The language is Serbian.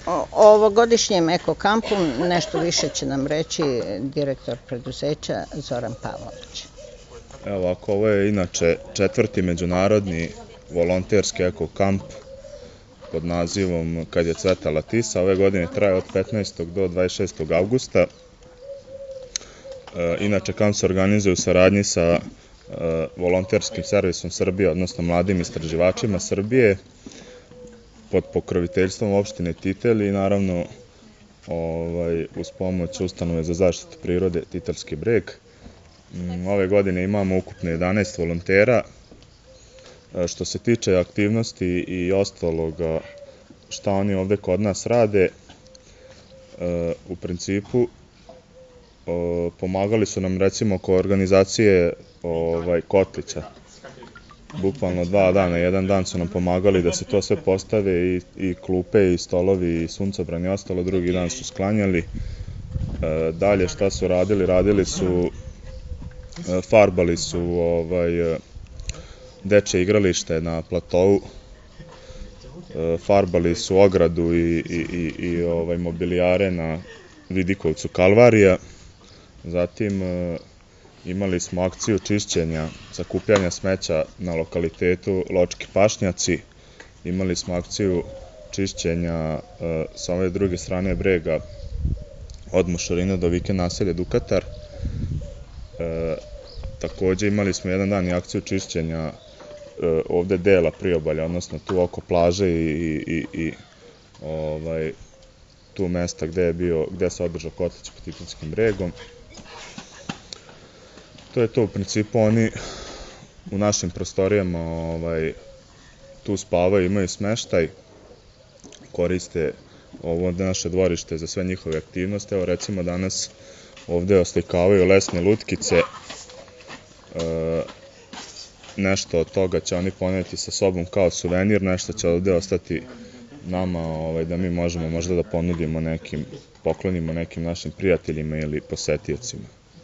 O ovogodišnjem ekokampu nešto više će nam reći direktor preduzeća Zoran Pavlović. Evo ovako, ovo je inače 4. međunarodni volonterski ekokamp pod nazivom Kad je cvetala tisa. Ove godine traje od 15. do 26. avgusta. Inače, kamp se organizuje u saradnji sa volonterskim servisom Srbije, odnosno mladim istraživačima Srbije, pod pokroviteljstvom opštine Titel i naravno uz pomoć ustanove za zaštitu prirode Titelski breg. Ove godine imamo ukupno 11 volontera. Što se tiče aktivnosti i ostaloga šta oni ovde kod nas rade, u principu pomagali su nam recimo oko organizacije kotlića. Bukvalno 2 dana, jedan dan su nam pomagali da se to sve postave i klupe i stolovi i suncobran i ostalo, drugi dan su sklanjali. Dalje šta su radili? Radili su, farbali su dečje igralište na platovu, farbali su ogradu i mobilijare na vidikovcu Kalvarija. Zatim imali smo akciju čišćenja, sakupljanja smeća na lokalitetu Ločki pašnjaci. Imali smo akciju čišćenja sa ove druge strane brega od Mošorina do Vike naselja Dukatar. Takođe imali smo jedan dan i akciju čišćenja ovde dela priobalja, odnosno tu oko plaže i tu mesta gde se održao kotlić pod Titelskim bregom. To je to, u principu oni u našim prostorijama tu spavaju, imaju smeštaj, koriste ovo naše dvorište za sve njihove aktivnosti. Evo recimo danas ovde oslikavaju lesne lutkice, nešto od toga će oni poneti sa sobom kao suvenir, nešto će ovde ostati nama da mi možemo možda da ponudimo poklonimo nekim našim prijateljima ili posetiocima.